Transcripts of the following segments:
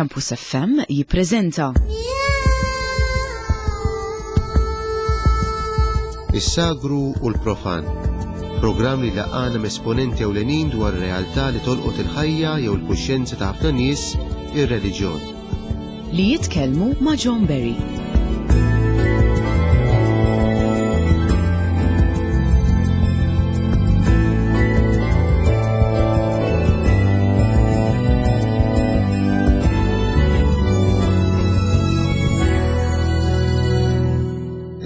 Campus FM jippreżenta. Is-sagru u l-profan. Programm li laqana esponenti ewlenin dwar realtà li tolqot il-ħajja jew il-kuxjenza ta' ħafna nies, ir-reliġjon. Li jitkellmu ma' John Berry.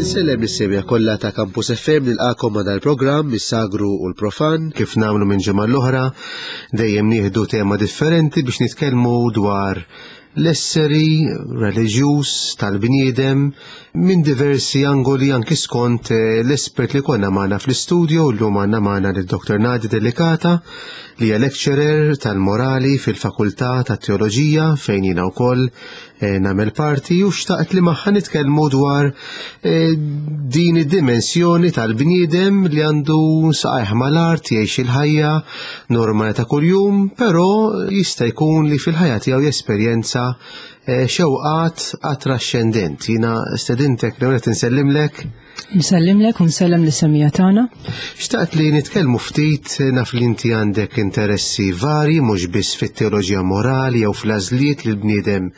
Insellem lis-semja kollha ta' Campus FM nilqakom ma' dal-programm is-sagru u l-profan kif nagħmlu minn ġimgħa l-oħra dejjem nieħdu tema differenti biex nitkellmu dwar l-esseri reliġjuż tal-bniedem minn diversi angoli anki skont eh, l-espert li konna magħna fl-istudio llum għandna magħna lil Dr. Nadia Delicata li hija lecturer tal-morali fil-Fakultà tat-Teoloġija fejn jiena wkoll eh, nagħmel parti u xtaqt li magħha nitkellmu dwar eh, din id-dimensjoni tal-bniedem li għandu saqajh mal-art jgħix il-ħajja normali ta' kuljum, però jista' jkun li fil-ħajja tiegħu jesperjenza eh, xewqat għat-traxxendent. Jiena stedintek li qed insellimlek. Nsellimlek u nsellem li semija tagħna. Xtaqt li nitkellmu ftit naf li inti għandek interessi vari mhux biss fit-teoloġija morali jew fl-għażliet li l-bniedem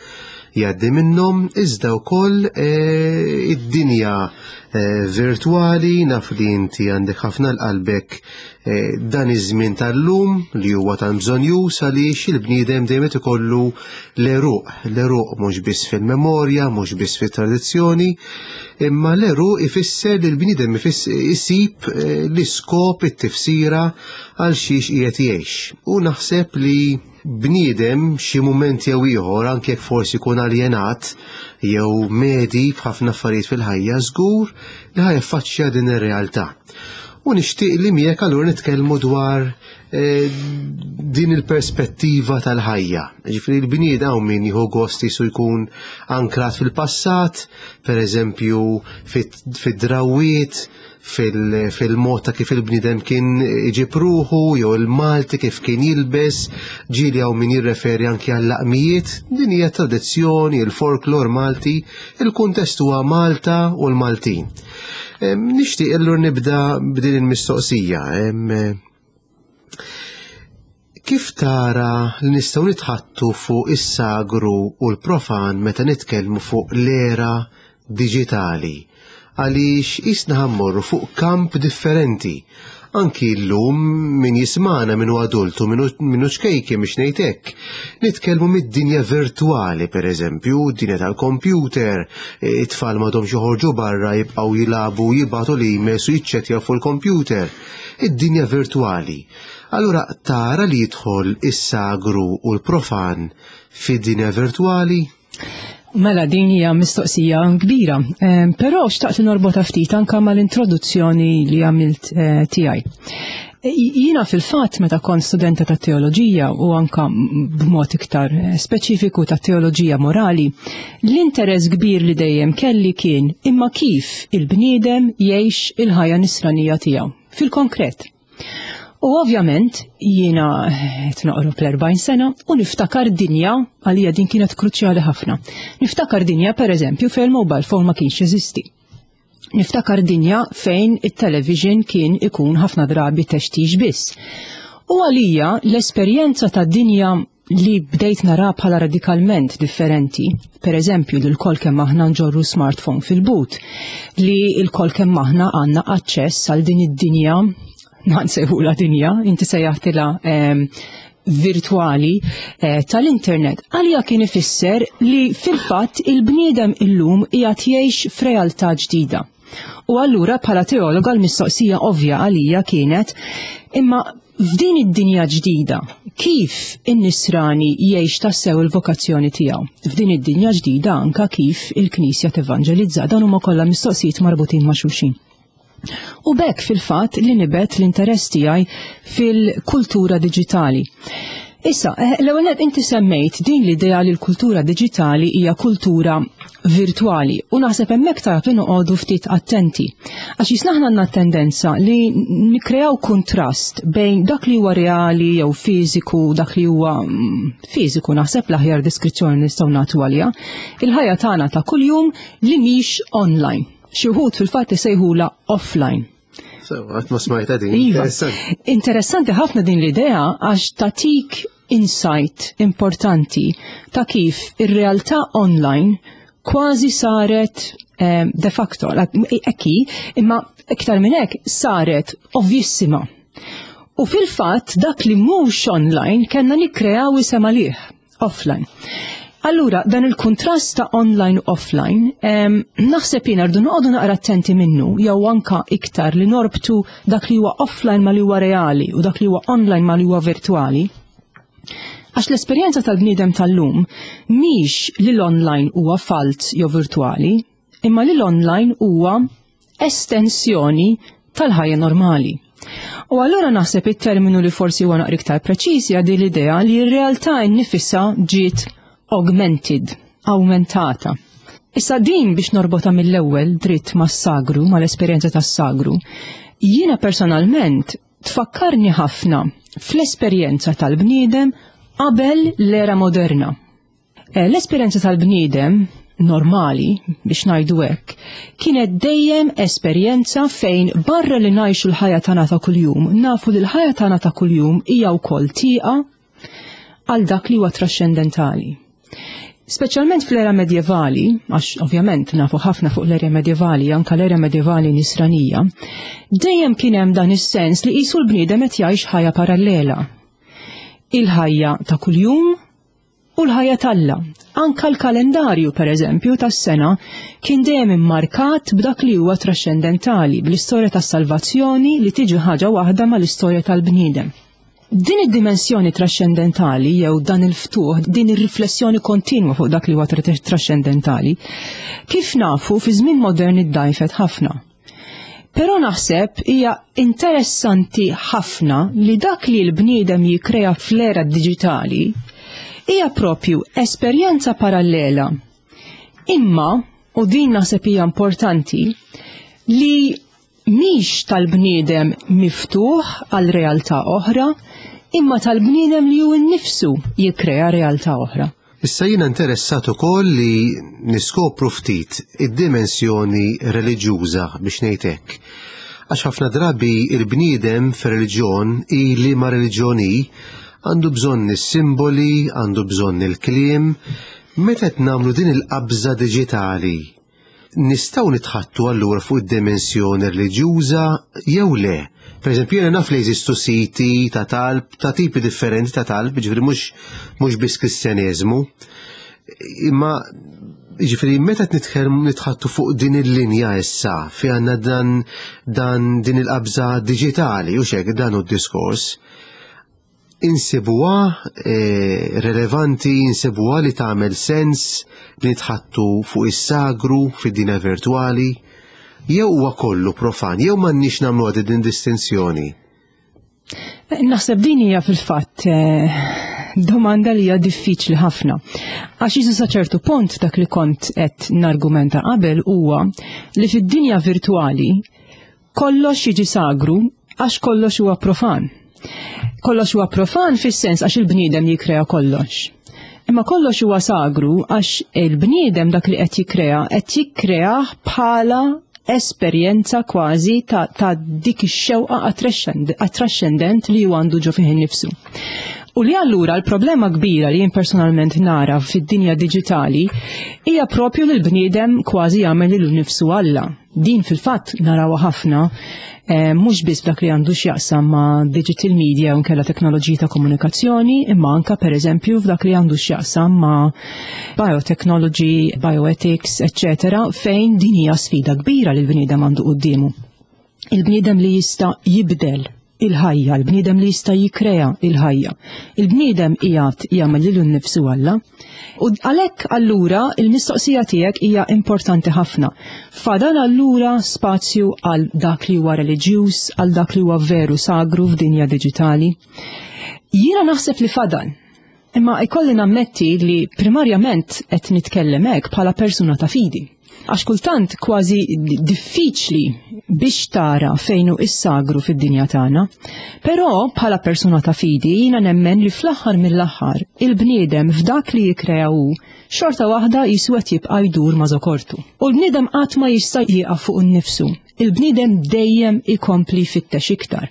jgħaddi minnhom, iżda wkoll eh, id-dinja eh, virtwali naf li inti għandek ħafna l-qalbek Eh, dan iż-żmien tal-lum li huwa tant bżonjuż għaliex il-bniedem dejjem qed ikollu l-eruq, l-eruq mhux biss fil-memorja, mhux biss fit-tradizzjoni, imma l-eruq ifisser li l-bniedem isib eh, l-iskop, it-tifsira għal xiex qiegħed jgħix. U naħseb li bniedem xi mument jew ieħor anke jekk forsi jkun aljenat jew medi b'ħafna affarijiet fil-ħajja żgur li ħa jaffaċċja din ir-realtà. U nixtieq li miegħek allura nitkellmu dwar eh, din il-perspettiva tal-ħajja. Ġifieri l-bniedem hawn min jieħu gost jisu jkun ankrat fil-passat, per eżempju fid-drawwiet, fil-mod ta' kif il-bniedem kien iġib ruħu jew il-Malti kif kien jilbes, ġieli hawn min jirreferi anki għall-laqmijiet, din hija tradizzjoni, il-folklor Malti, il-kuntest huwa Malta u l-Maltin. Nixtieq illur nibda b'din il-mistoqsija. Kif tara li nistgħu nitħattu fuq is-sagru u l-profan meta nitkellmu fuq l-era diġitali? Għaliex qisna ħa mmorru fuq kamp differenti. Anki llum min jismagħna min hu adult u min hu ċkejken biex ngħid hekk, nitkellmu mid-dinja virtwali pereżempju, d-dinja tal-kompjuter, it-tfal m'għadhomx joħorġu barra jibqgħu jilagħbu jibagħtu l-emails u jiċċettjaw fuq il-kompjuter. Id-dinja virtwali. Allura tara li jidħol is-sagru u l-profan fid-dinja virtwali? Mela din hija mistoqsija kbira, ehm, però xtaqt norbota ftit anka mal-introduzzjoni li għamilt eh, tiegħi. E, jiena fil-fatt meta kont studenta ta' teoloġija u anka b'mod iktar eh, speċifiku ta' teoloġija morali, l-interess kbir li dejjem kelli kien imma kif il-bniedem jgħix il-ħajja nisranija tiegħu fil-konkret. U ovvjament jiena qed noqrob l-40 sena u niftakar dinja għalija din kienet kruċjali ħafna. Niftakar dinja pereżempju fejn il-mobile phone ma kienx jeżisti. Niftakar dinja fejn it-television kien ikun ħafna drabi textix biss. U għalija l-esperjenza ta' dinja li bdejt nara bħala radikalment differenti, per eżempju li l-kol kemm aħna nġorru smartphone fil-but, li l-kol kemm aħna għandna aċċess għal din id-dinja, la dinja, inti sejjaħtilha ehm, virtuali eh, tal-internet. Għalija kien ifisser li fil-fatt il-bniedem illum qiegħed jgħix f'realtà ġdida. U allura bħala teologa l-mistoqsija ovvja għalija kienet imma F'din id-dinja ġdida, kif in-nisrani jgħix tassew il-vokazzjoni tiegħu? F'din id-dinja ġdida anka kif il-Knisja tevanġelizza, dan huma kollha mistoqsijiet marbutin ma' xulxin. U b'hekk fil-fatt li nibet l-interess tiegħi fil-kultura diġitali. Issa, eh, l-ewwel nett inti semmejt din l-idea li l-kultura diġitali hija kultura virtuali u naħseb hemmhekk tajjeb li noqogħdu ftit attenti. Għax jisna aħna għandna tendenza li nikkreaw kuntrast bejn dak li huwa reali jew fiżiku, dak li huwa mm, fiżiku naħseb l-aħjar deskrizzjoni nistgħu nagħtu għaliha, il-ħajja tagħna ta' kuljum li mhix online. Xi wħud fil-fatt isejħulha offline. Għat ma smajta din. Iva. Interessanti ħafna din l-idea għax tatik insight importanti ta' kif ir-realtà online kważi saret eh, de facto, ekki, imma iktar minn hekk saret ovvjissima. U fil-fatt dak li mhux online kellna nikkreaw isem għalih offline. Allura, dan il-kontrast ta' online u offline, naħseb jiena rdu noqogħdu naqra attenti minnu, jew anka iktar li norbtu dak li huwa offline ma li huwa reali u dak li huwa online ma li huwa virtuali. Għax l-esperjenza tal-bniedem tal-lum mhix li l-online huwa falz jew virtuali, imma li l-online huwa estensjoni tal-ħajja normali. U allura naħseb it-terminu li forsi huwa naqra iktar preċiż hija din l-idea li r-realtà nnifisha ġiet augmented, awmentata. Issa din biex norbota mill-ewwel dritt mas-sagru, mal-esperjenza tas-sagru, jiena personalment tfakkarni ħafna fl-esperjenza tal-bniedem qabel l-era moderna. Eh, l-esperjenza tal-bniedem normali, biex ngħidu hekk, kienet dejjem esperjenza fejn barra li ngħixu l-ħajja tagħna ta' kuljum, nafu li l-ħajja tagħna ta' kuljum hija wkoll tieqa għal dak li huwa traxxendentali. Speċjalment fl-era medjevali, għax ovvjament nafu ħafna fuq l-era medjevali, anka l-era medjevali nisranija, dejjem kien hemm dan is-sens li qisu l-bniedem qed jgħix ħajja parallela. Il-ħajja ta' kuljum u l-ħajja t'Alla. Anka l-kalendarju, per eżempju, tas-sena kien dejjem immarkat b'dak li huwa traxxendentali, bl-istorja tas-salvazzjoni li tiġi ħaġa waħda mal-istorja tal-bniedem. Din id-dimensjoni traxxendentali jew dan il-ftuħ, din ir-riflessjoni kontinwa fuq dak li huwa traxxendentali, kif nafu fi żmien modern iddajfet ħafna. Però naħseb hija interessanti ħafna li dak li l-bniedem jikkrea fl-era diġitali hija propju esperjenza parallela. Imma, u din naħseb hija importanti, li mhix tal-bniedem miftuħ għal realtà oħra, imma tal-bniedem li hu nnifsu jikkrea realtà oħra. Issa jiena interessat ukoll li niskopru ftit id-dimensjoni reliġjuża biex ngħid hekk. Għax ħafna drabi il-bniedem fir-reliġjon i liema reliġjon hi, għandu bżonn is-simboli, għandu bżonn il-kliem. Meta qed nagħmlu din il-qabża diġitali, Nistgħu nitħattu allura fuq id-dimensjoni reliġjuża jew le? Per eżempju, jiena naf li jeżistu siti ta' talb, ta' tipi differenti ta' talb, ġifieri mhux mhux biss Kristjaneżmu. Imma ġifieri meta qed nitkellmu nitħattu fuq din il-linja issa fi għandna dan dan din il-qabża diġitali u xek dan hu d-diskors. Insibuha eh, relevanti, insibuha li tagħmel sens li nitħattu fuq is-sagru fid-dinja virtwali, jew huwa kollu profan, jew m'għandniex nagħmlu din distinzjoni. Naħseb din hija fil-fatt eh, domanda li hija diffiċli ħafna. Għax jisu sa ċertu punt dak li kont qed nargumenta qabel huwa li fid-dinja virtwali Kollox jiġi sagru għax kollox huwa profan. Kollox huwa profan fis-sens għax il-bniedem jikkrea kollox. Imma kollox huwa sagru għax il-bniedem dak li qed jikkrea qed jikkreah bħala esperjenza kważi ta', ta dik ix-xewqa għat-traxxendent li huwa għandu ġo fih innifsu. U li allura l-problema kbira li jien personalment nara fid-dinja diġitali hija propju li l-bniedem kważi jagħmel lilu nnifsu Alla. Din fil-fatt narawha ħafna eh, mhux biss dak li għandu x'jaqsam ma' digital media u nkella teknoloġiji ta' komunikazzjoni, imma anka pereżempju f'dak li għandu x'jaqsam ma' biotechnology, bioethics, eccetera, fejn din hija sfida kbira li l-bniedem għandu quddiemu. Il-bniedem li jista' jibdel il-ħajja, il-bniedem li jista' jikkrea il-ħajja. Il-bniedem qiegħed jagħmel lilu nnifsu Alla. U għalhekk allura il-mistoqsija tiegħek hija importanti ħafna. Fadal allura spazju għal dak li huwa reliġjuż, għal dak li huwa veru sagru f'dinja diġitali. Jiena naħseb li fadal. Imma ikolli nammetti li primarjament qed nitkellem hekk bħala persuna ta' fidi. Għax kultant kważi diffiċli biex tara fejn hu is-sagru fid-dinja tagħna. Però bħala persuna ta' fidi jiena nemmen li fl-aħħar mill-aħħar il-bniedem f'dak li jikkrea hu xorta waħda jisu qed jibqa' jdur ma' żokortu. U l-bniedem qatt ma jista' jieqaf fuq innifsu. Il-bniedem dejjem ikompli jfittex iktar.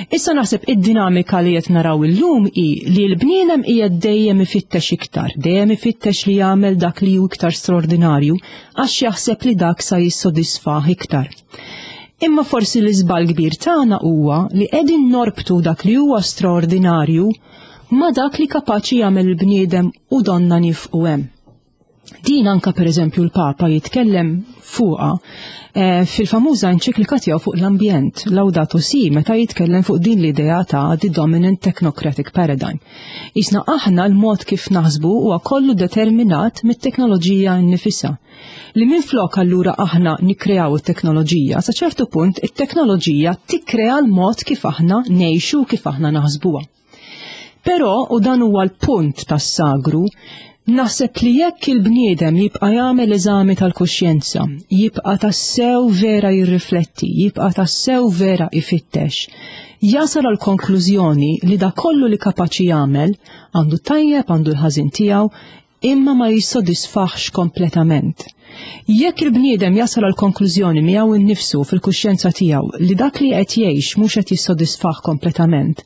Issa naħseb id-dinamika li qed naraw illum hi li l-bniedem qiegħed dejjem ifittex iktar, dejjem ifittex li jagħmel dak li hu iktar straordinarju għax jaħseb li dak sa jissodisfah iktar. Imma forsi l-iżball kbir tagħna huwa li qegħdin norbtu dak li huwa straordinarju ma' dak li kapaċi jagħmel il-bniedem u donna nifqu hemm. Din anka pereżempju l-Papa jitkellem fuqha eh, fil-famuża enċiklika tiegħu fuq l-ambjent, Laudato Si, meta jitkellem fuq din l-idea ta' the dominant technocratic paradigm. Isna aħna l-mod kif naħsbu huwa kollu determinat mit-teknoloġija nnifisha. Li minflok allura aħna nikkreaw it-teknoloġija, sa ċertu punt it-teknoloġija tikkrea l-mod kif aħna ngħixu kif aħna naħsbuha. Però, u dan huwa l-punt tas-sagru, naħseb li jekk il-bniedem jibqa' jagħmel eżami tal-kuxjenza, jibqa' tassew vera jirrifletti, jibqa' tassew vera ifittex, jasal għal konklużjoni li dak kollu li kapaċi jagħmel, għandu tajjeb, għandu l-ħażin tiegħu, imma ma jissodisfahx kompletament. Jekk il-bniedem jasal għal konklużjoni miegħu nnifsu fil-kuxjenza tiegħu li dak li qed jgħix mhux qed jissodisfah kompletament,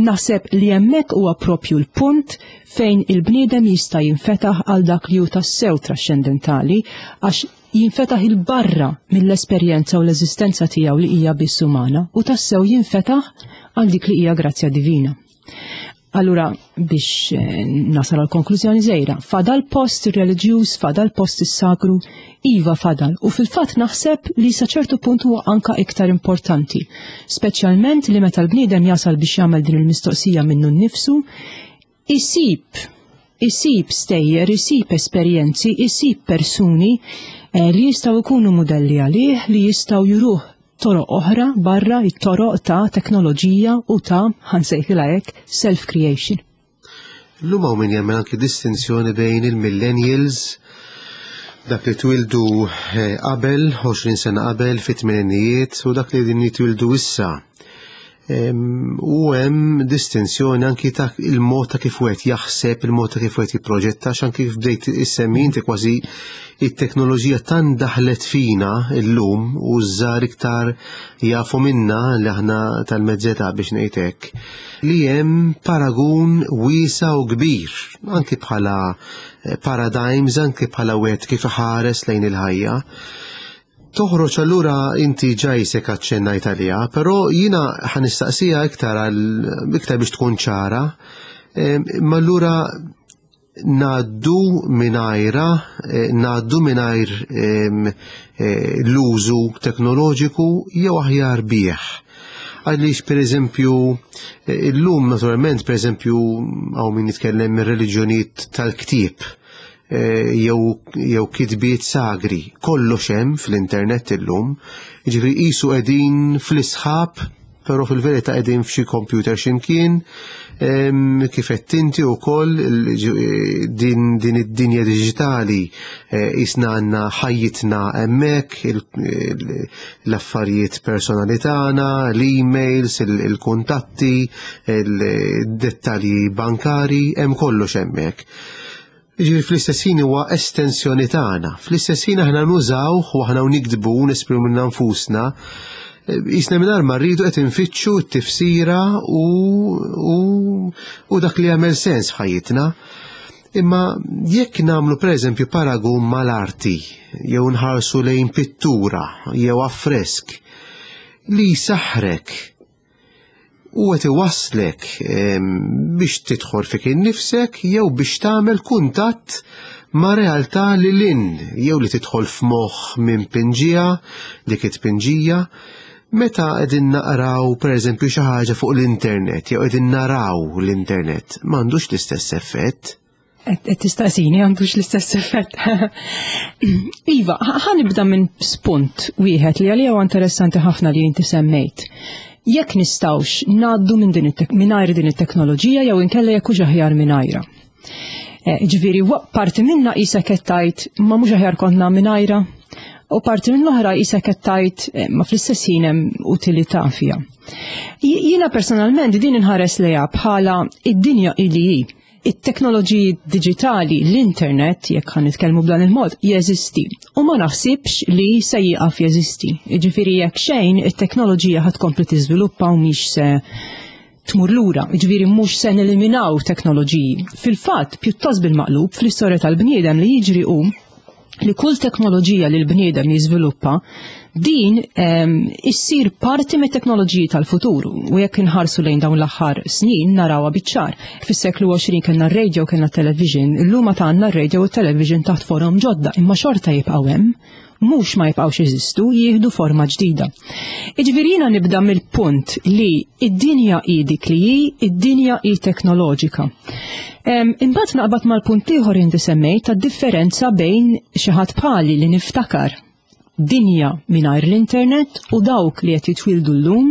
naħseb li hemmhekk huwa propju l-punt fejn il-bniedem jista' jinfetaħ għal dak li hu tassew traxxendentali għax jinfetaħ 'il barra mill-esperjenza u l-eżistenza tiegħu li hija biss umana u tassew jinfetaħ għal dik li hija grazzja divina. Allura biex eh, nasal għal konklużjoni żejra, fadal post reliġjuż, fadal post is-sagru, iva fadal. U fil-fatt naħseb li sa ċertu punt huwa anka iktar importanti, speċjalment li meta l-bniedem jasal biex jagħmel din il-mistoqsija minnu nnifsu, isib isib stejjer, isib esperjenzi, isib persuni eh, li jistgħu jkunu mudelli għalih, li jistgħu juruh toroq oħra barra it-toroq ta' teknoloġija u ta' ħansejħilha hekk self-creation. Illum hawn min jagħmel anki distinzjoni bejn il-millennials dak li twildu eh, qabel, 20 sena qabel fit-tmeninijiet u dak li din jitwildu issa. U hemm distinzjoni anki ta' il-mod ta' kif wieħed jaħseb, il-mod ta' kif wieħed jipproġetta, għax anki kif bdejt issemmi inti kważi it-teknoloġija tant daħlet fina illum u żgħar iktar jafu minna li aħna tal-mezzeta biex ngħid hekk, li hemm paragun wiesa u kbir, anki bħala eh, paradigms, anki bħala wieħed kif iħares lejn il-ħajja. Toħroġ allura inti ġa jisek aċċennajt għaliha, però jiena ħa nistaqsiha iktar għal iktar biex tkun ċara. Ma allura ngħaddu mingħajra, eh, ngħaddu mingħajr eh, l-użu teknoloġiku jew aħjar bih. Għaliex pereżempju eh, illum naturalment pereżempju hawn min jitkellem mir-reliġjonijiet tal-ktieb Eh, jew jew kitbiet sagri. Kollox hemm fl-internet illum. Jiġifieri qisu qegħdin fl-isħab, però fil-verità qegħdin f'xi computer x'imkien. Kif qed inti wkoll eh, din din id-dinja diġitali eh, qisna għandna ħajjitna hemmhekk, l-affarijiet personali tagħna, l-emails, il-kuntatti, il-dettalji bankari, hemm kollox hemmhekk. Jiġifieri fl-istess ħin huwa estensjoni tagħna. Fl-istess ħin aħna nużawh u aħna nikdbu u nesprimu minna nfusna. Jisna mingħajr ma rridu qed infittxu t-tifsira u, u, u dak li jagħmel sens f'ħajjitna. Imma jekk nagħmlu pereżempju paragun mal-arti jew nħarsu lejn pittura jew affresk li jsaħħrek u qed iwasslek biex tidħol fik innifsek jew biex tagħmel kuntatt ma' realtà li lin jew li tidħol f'moħħ minn pinġija, dik it-tpinġija, meta qegħdin naqraw pereżempju xi ħaġa fuq l-internet jew qegħdin naraw l-internet, m'għandux l-istess effett. Qed tistaqsini għandux l-istess effett. Iva, ħa nibda minn spunt wieħed li għalija huwa interessanti ħafna li inti semmejt. Jekk nistgħux ngħaddu minn din mingħajr din it-teknoloġija jew inkella jekk hux aħjar mingħajrha. Eh, ġifieri parti minna qisek qed tgħid ma mhux aħjar konna mingħajrha u parti minn l-oħra qisek qed tgħid eh, ma fl-istess ħin hemm utilità fiha. Jiena personalment din inħares lejha bħala id-dinja ili hi. It-teknoloġiji diġitali, l-internet, jekk ħan nitkellmu b'dan il-mod, jeżisti. U ma naħsibx li se jieqaf jeżisti. Jiġifieri jekk xejn, it-teknoloġija ħad tkompli tiżviluppa u mhix se tmur lura, jiġifieri mhux se neliminaw teknoloġiji. Fil-fatt, pjuttost bil-maqlub, fl-istorja tal-bniedem li jiġri hu li kull teknoloġija li l-bniedem jiżviluppa din ehm, issir parti mit teknoloġiji tal-futur u jekk inħarsu lejn dawn l-aħħar snin narawha biċ-ċar. Fis-seklu 20 kellna r-radio kellna television, illum ta' għandna r-radio u television taħt forom ġodda, imma xorta jibqgħu hemm mhux ma jibqgħux jeżistu, jieħdu forma ġdida. Iġifieri jiena nibda mill-punt li id-dinja hi dik li hi, id-dinja hi teknoloġika. Imbagħad naqbad mal-punt ieħor inti semmejt tad-differenza bejn xi ħadd bħali li niftakar dinja mingħajr l-internet u dawk li qed jitwildu llum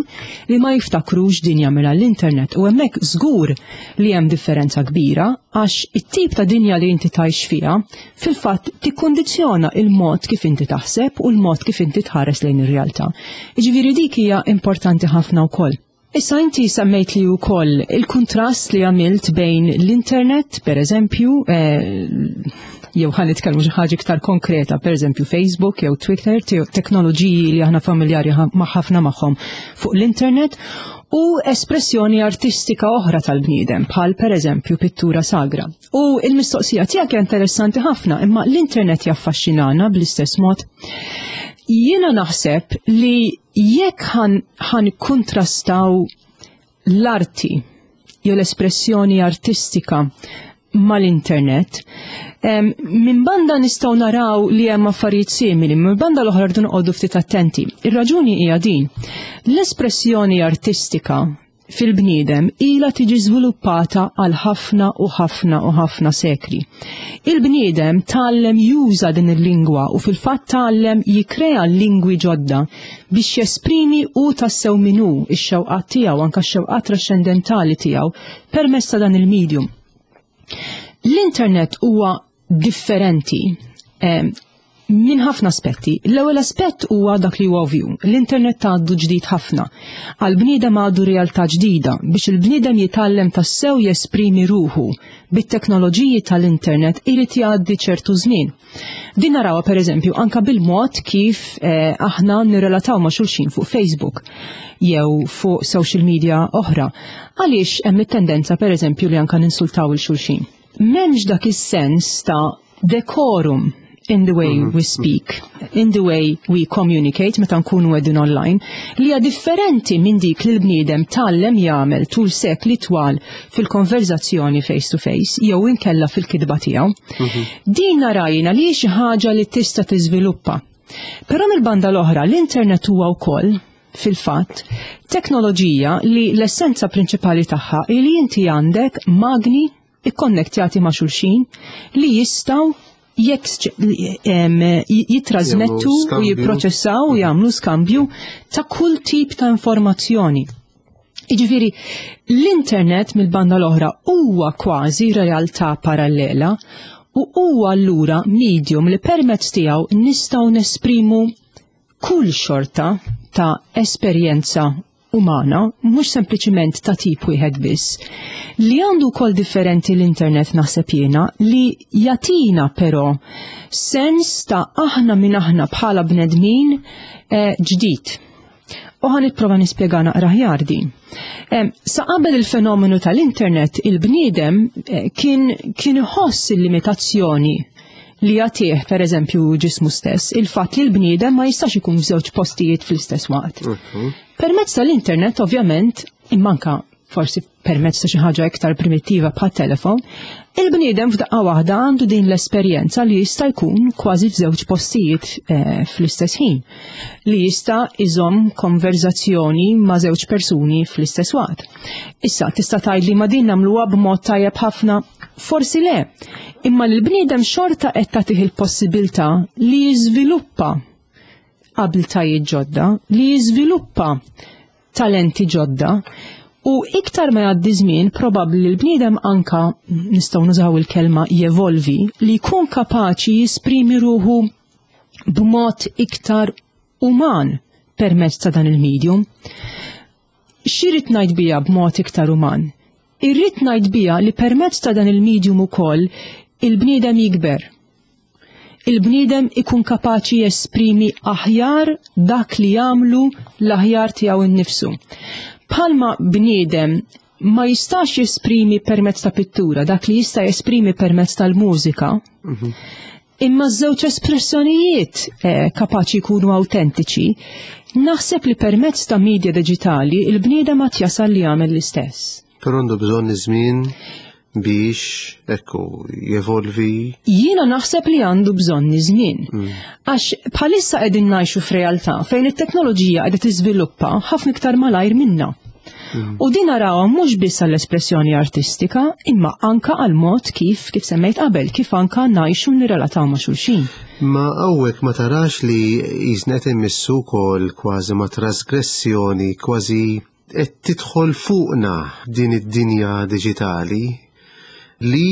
li ma jiftakrux dinja mingħajr l-internet u hemmhekk żgur li hemm differenza kbira għax it-tip ta' dinja li inti tgħix fiha fil-fatt tikkundizzjona il-mod kif inti taħseb u l-mod kif inti tħares lejn ir-realtà. Jiġifieri dik hija importanti ħafna wkoll. Issa inti semmejt li wkoll il-kuntrast li għamilt bejn l-internet, per eżempju, eh, jew ħan nitkellmu xi ħaġa iktar konkreta, per eżempju Facebook jew Twitter, teknoloġiji li aħna familjari ma' ħafna magħhom fuq l-internet, u espressjoni artistika oħra tal-bniedem, bħal per eżempju pittura sagra. U il-mistoqsija tiegħek hija interessanti ħafna, imma l-internet jaffaxxinana bl-istess mod. Jiena naħseb li jekk ħan kontrastaw l-arti jew l-espressjoni artistika mal-internet, minn banda nistgħu naraw li hemm affarijiet simili, minn banda l-oħra rridu noqogħdu ftit attenti. Ir-raġuni hija din. L-espressjoni artistika fil-bniedem ilha tiġi żviluppata għal ħafna u ħafna u ħafna sekli. Il-bniedem tgħallem juża din il-lingwa u fil-fatt tgħallem jikkrea lingwi ġodda biex jesprimi hu tassew min hu, ix-xewqat tiegħu, anke x-xewqat trascendentali tiegħu permezz ta' dan il-medium. L-internet huwa differenti eh, minn ħafna aspetti. L-ewwel aspett huwa dak li huwa ovvju. L-internet għaddu ġdid ħafna. Għal bniedem għadu realtà ġdida biex il-bniedem jitgħallem tassew jesprimi ruħu bit-teknoloġiji tal-internet irid jgħaddi ċertu żmien. Din narawha pereżempju anka bil-mod kif eh, aħna nirrelataw ma' xulxin fuq Facebook jew fuq social media oħra. Għaliex hemm it-tendenza pereżempju li anka ninsultaw il xulxin. M'hemmx dak is-sens ta' decorum in the way we speak, in the way we communicate meta nkunu qegħdin online, li hija differenti minn dik li l-bniedem tgħallem jagħmel tul sekli twal fil-konverzazzjoni face to face jew inkella fil-kitba tiegħu. Din narajna li hi xi ħaġa li tista' tiżviluppa. Però mill-banda l-oħra l-internet huwa wkoll fil-fatt teknoloġija li l-essenza prinċipali tagħha hi li inti għandek magni ikkonnettjati ma' xulxin li jistgħu jitrasmettu u jipproċessaw u jagħmlu skambju ta' kull tip ta' informazzjoni. Jiġifieri, l-internet mill-banda l-oħra huwa kważi realtà parallela u huwa allura medium li permezz tiegħu nistgħu nesprimu kull xorta ta' esperjenza umana, mhux sempliċiment ta' tip wieħed biss. Li għandu wkoll differenti l-internet naħseb jiena li jagħtina però sens ta' aħna min aħna bħala bnedmin eh, ġdid. U ħa nipprova nispjega naqra aħjar din. Sa qabel il-fenomenu tal-internet, il-bniedem eh, kien kien iħoss il-limitazzjoni li jagħtih pereżempju ġismu stess, il-fatt li l-bniedem ma jistax ikun f'żewġ postijiet fl-istess waqt. Mhm. Permezz tal-internet, ovvjament, immanka forsi permezz ta' xi ħaġa iktar primittiva bħat telefon, il-bniedem f'daqqa waħda għandu din l-esperjenza li jista' jkun kważi f'żewġ postijiet eh, fl-istess ħin, li jista' iżomm konverzazzjoni ma' żewġ persuni fl-istess waqt. Issa tista' tgħidli ma din nagħmluha b'mod tajjeb ħafna, forsi le, imma l-bniedem xorta qed tagħtih il-possibilità li jiżviluppa abiltajiet ġodda, li jiżviluppa talenti ġodda u iktar ma jgħaddi żmien probabbli li l-bniedem anka nistgħu nużaw il-kelma jevolvi li jkun kapaċi jisprimi ruħu b'mod iktar uman permezz ta' dan il-medium. X'irrid ngħid biha b'mod iktar uman? Irrid ngħid biha li permezz ta' dan il-medium ukoll il-bniedem jikber. Il-bniedem ikun kapaċi jesprimi aħjar dak li jagħmlu l-aħjar tiegħu nnifsu. Bħalma bniedem ma jistax jesprimi permezz ta' pittura dak li jista' jesprimi permezz tal-mużika, imma ż-żewġ espressjonijiet eh, kapaċi jkunu autentiċi, naħseb li permezz ta' media diġitali il-bniedem għad jasal li jagħmel l-istess. Però għandu bżonn iż-żmien biex ekku jevolvi. Jiena naħseb li għandu bżonn iż-żmien. Għax bħalissa qegħdin ngħixu f'realtà fejn it-teknoloġija qiegħda tiżviluppa ħafna iktar malajr minna. U din narawha mhux biss għall-espressjoni artistika, imma anka għal mod kif kif semmejt qabel, kif anka ngħixu nirrelataw ma' xulxin. Ma hawnhekk ma tarax li jisna qed immissu wkoll kważi ma' trasgressjoni, kważi qed tidħol fuqna din id-dinja diġitali li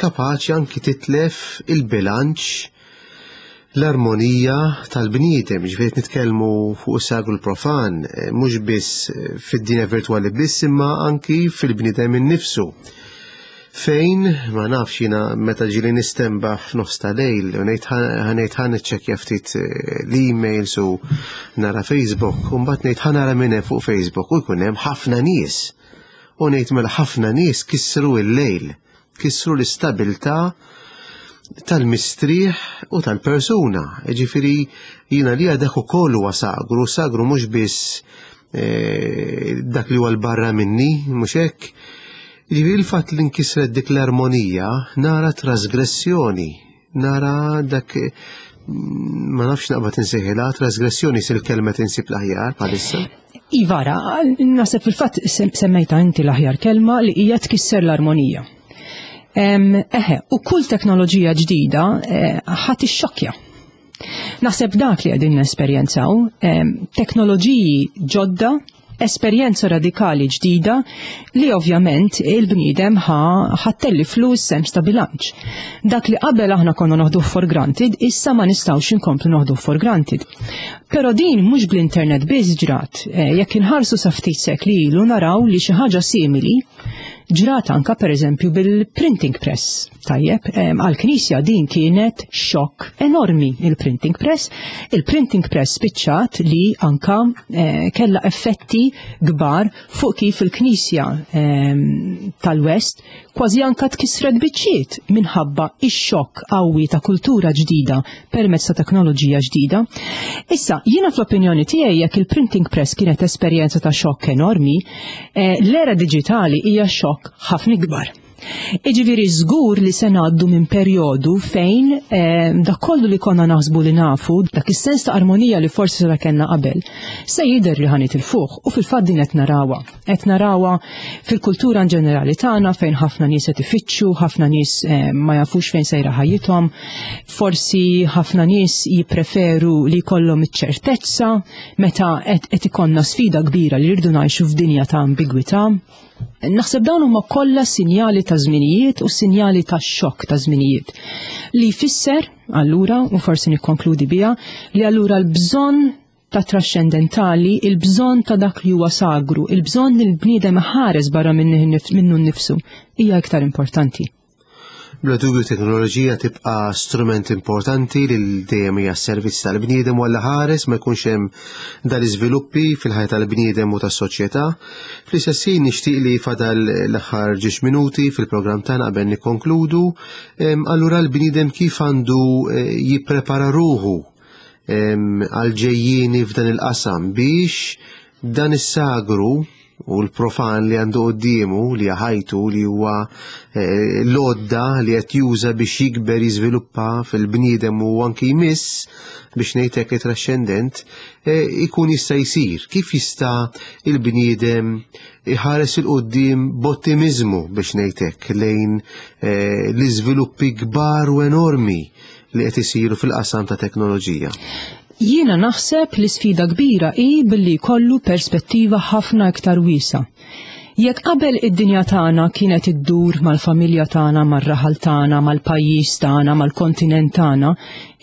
kapaċi anki titlef il-bilanċ l-armonija tal-bniedem, ġifieri qed nitkellmu fuq is-sagru l-profan, eh, mhux biss eh, fid-dinja virtwali biss imma anki fil-bniedem innifsu. Fejn, ma nafx jiena meta ġieli nistenbaħ f'nofs ta' lejl, u ngħid ħa ngħid ħa niċċekkja ftit eh, l-emails u nara Facebook, u mbagħad ngħid ħa nara min hemm fuq Facebook u jkun hemm ħafna nies. U ngħid mela ħafna nies kissru l-lejl, kissru l-istabilta tal-mistrieħ u tal-persuna. Ġifieri jiena li dak ukoll huwa sagru, sagru mhux biss eh, dak li huwa l-barra minni, mhux hekk. Ġifieri il-fatt li nkisret dik l-armonija nara trasgressjoni, nara dak ma nafx naqbad insejħilha trasgressjoni sil kelma tinsib l-aħjar bħalissa. Ivara, naħseb fil-fatt semmejta inti l-aħjar kelma li hija tkisser l-armonija. Eħe, u kull teknoloġija ġdida eh, ħadd ixxokkja. Naħseb dak li qegħdin nesperjenzaw, teknoloġiji ġodda, esperjenza radikali ġdida li ovvjament il-bniedem ħa ħattelli flus sens ta' bilanċ. Dak li qabel aħna konna noħdu for granted, issa ma nistgħux inkomplu noħdu for granted. Però din mhux bl-internet biss ġrat, eh, jekk inħarsu sa ftit sekli ilu naraw li xi ħaġa simili ġrat anka per eżempju bil-printing press. Tajjeb, għal-Knisja din kienet xokk enormi il-printing press. Il-printing press spiċċat li anka eh, kella effetti kbar fuq kif il-Knisja tal-West kważi anka tkissret biċċiet minħabba ix-xokk qawwi ta' kultura ġdida permezz ta' teknoloġija ġdida. Issa, jiena fl-opinjoni tiegħi jekk il-printing press kienet esperjenza ta' xokk enormi, eh, l-era diġitali hija xokk ħafna ikbar. Iġifieri żgur li se ngħaddu minn perjodu fejn eh, dak kollu li konna naħsbu li nafu, dak is-sens ta' armonija li forsi seta' kellna qabel, se jidher li ħa nitilfuh u fil-fatt din qed narawha. Qed narawha fil-kultura in ġenerali tagħna fejn ħafna nies qed ifittxu, ħafna nies eh, ma jafux fejn sejra ħajjithom, forsi ħafna nies jippreferu li jkollhom iċ-ċertezza meta qed ikollna sfida kbira li rridu ngħixu f'dinja ta' ambigwità. Naħseb dawn huma kollha sinjali ta' żminijiet u sinjali ta' xokk ta' żminijiet. Li jfisser, allura, u forsi nikkonkludi biha, li allura l-bżonn ta' trascendentali, il-bżonn ta' dak li huwa sagru, il-bżonn li l-bniedem ħares barra minnu nnifsu, hija iktar importanti. Bla dubju teknoloġija tibqa' strument importanti li dejjem hija s-servizz tal-bniedem u ħares ma jkunx hemm dal-iżviluppi fil-ħajja tal-bniedem u tas-soċjetà. Fl-istess ħin nixtieq li fadal l-aħħar ġiex minuti fil-programm tagħna qabel nikkonkludu, allura l-bniedem kif għandu eh, jipprepara ruħu għal ġejjieni f'dan il-qasam biex dan is-sagru u l-profan li għandu qoddiemu li ħajtu li huwa eh, l-għodda li qed juża biex jikber jiżviluppa fil-bniedem u anki jmiss biex ngħid hekk trascendent eh, ikun jista' jsir. Kif jista' il-bniedem iħares 'il quddiem b'ottimizmu biex ngħid hekk lejn eh, l-iżviluppi kbar u enormi li qed isiru fil-qasam ta' teknoloġija? Jiena naħseb li sfida kbira hi billi jkollu perspettiva ħafna iktar wiesgħa. Jekk qabel id-dinja tagħna kienet iddur mal-familja tagħna, mar-raħal tagħna, mal-pajjiż tagħna, mal-kontinent tagħna,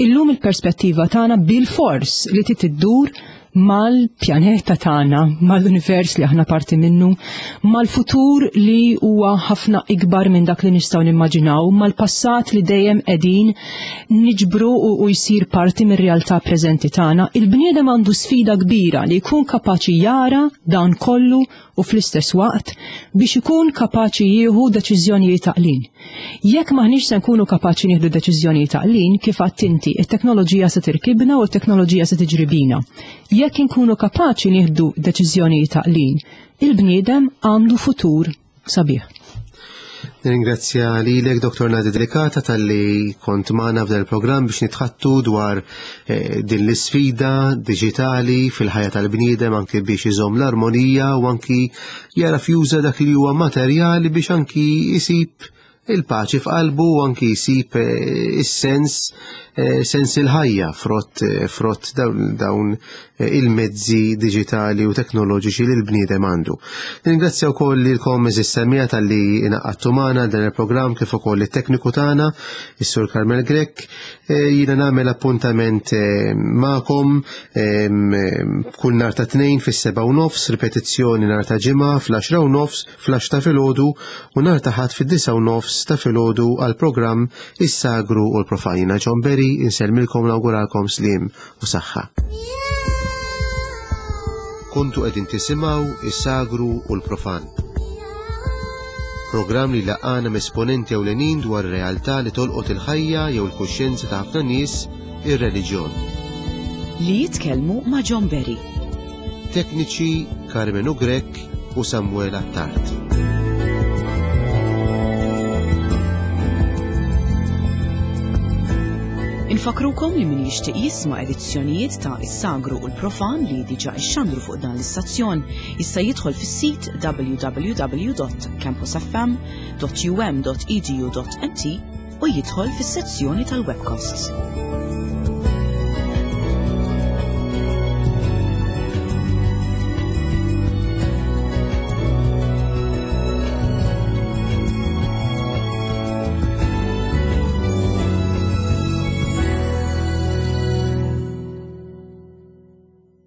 illum il-perspettiva tagħna bilfors li trid iddur mal-pjaneta tagħna, mal-univers li aħna parti minnu, mal-futur li huwa ħafna ikbar minn dak li nistgħu nimmaġinaw, mal-passat li dejjem qegħdin niġbru u, u jsir parti mir-realtà preżenti tagħna. Il-bniedem għandu sfida kbira li jkun kapaċi jara dan kollu u fl-istess waqt biex ikun kapaċi jieħu deċiżjonijiet għaqlin. Jekk m'aħniex se nkunu kapaċi nieħdu deċiżjonijiet għaqlin, kif għedt inti, it-teknoloġija se tirkibna u t-teknoloġija se tiġri bina. Jekk inkunu kapaċi nieħdu deċiżjonijiet għaqlin, il-bniedem għandu futur sabiħ. Nirringrazzja lilek Dr. Nadi Delicata talli kont magħna f'dan il-programm biex nitħattu dwar eh, din l-isfida diġitali fil-ħajja tal-bniedem anki biex iżomm l-armonija u anki jara fjuża dak li huwa materjali biex anki jisib il-paċi f'qalbu u anki jsib eh, is-sens eh, sens il-ħajja frott frott dawn il-mezzi diġitali u teknoloġiċi li l-bniedem għandu. Ningrazzja wkoll lilkom eżis semmiegħa talli ingħaqadtu magħna dan il-programm kif ukoll it-tekniku tagħna, is-Sur Carmel Grech. E, jiena nagħmel appuntament e, magħkom e, kull nhar ta' tnejn fis-seba' u nofs, ripetizzjoni nhar ta' ġimgħa fl-10 u nofs, fl ta' filgħodu u nhar ta' ħadd fid-9 u nofs ta' filgħodu għall-programm Is-Sagru u l-Profan. Jiena John Berry, insellmilkom nawguralkom sliem u saħħa. Kontu qegħdin tisimgħu is-Sagru u l-Profan. Programm li laqana m'esponenti ewlenin dwar realtà li tolqot il-ħajja jew il-kuxjenza ta' ħafna nies, ir-reliġjon. Li jitkellmu ma' John Berry. Tekniċi Carmenu Grech u Samuel Attard. Infakrukom li min jixtieq jisma' edizzjonijiet ta' Is-Sagru u l-Profan li diġà ixxandru fuq dan l-istazzjon jista' jidħol fis-sit www.campusfm.um.edu.mt u jidħol fis-sezzjoni tal-webcasts.